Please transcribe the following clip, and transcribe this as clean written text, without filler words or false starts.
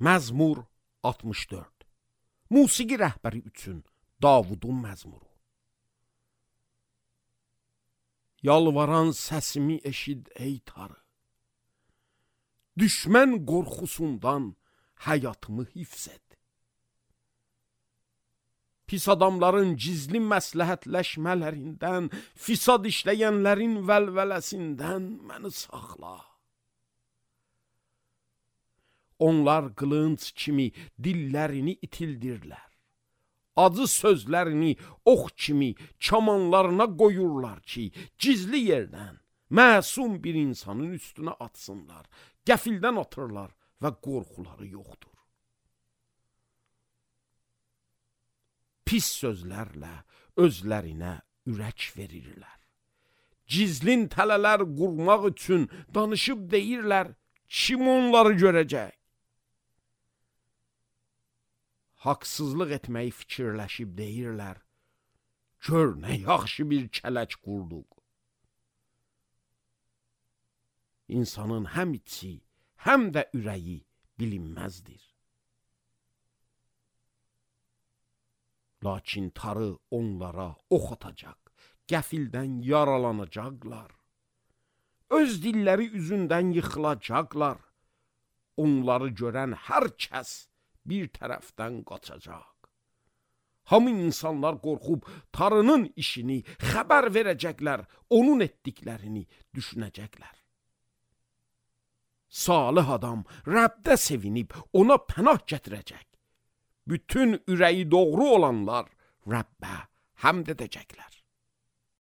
Məzmur 64. Musiqi rəhbəri üçün Davudun məzmuru. Yalvaran səsimi eşid ey Tanrı. Düşmən qorxusundan həyatımı hifz et. Pis adamların gizli məsləhətləşmələrindən, fisad işləyənlərin vəlvələsindən məni saxla. Onlar qılınc kimi dillərini itildirlər. Acı sözlərini ox kimi kamanlarına qoyurlar ki, gizli yerdən məsum bir insanın üstünə atsınlar. Qəfildən atırlar və qorxuları yoxdur. Pis sözlərlə özlərinə ürək verirlər. Gizlin tələlər qurmaq üçün danışıb deyirlər, kim onları görəcək? Haqsızlıq etməyi fikirləşib deyirlər, gör nə yaxşı bir kələk qurduq. İnsanın həm içi, həm də ürəyi bilinməzdir. Lakin Tanrı onlara ox atacaq, qəfildən yaralanacaqlar. Öz dilləri üzündən yıxılacaqlar. Onları görən hər kəs bir tərəfdən qaçacaq. Hamı insanlar qorxub Tanrının işini xəbər verəcəklər, onun etdiklərini düşünəcəklər. Salih adam Rəbdə sevinib ona pənah gətirəcək. Bütün ürəyi doğru olanlar Rəbbə həmd edəcəklər.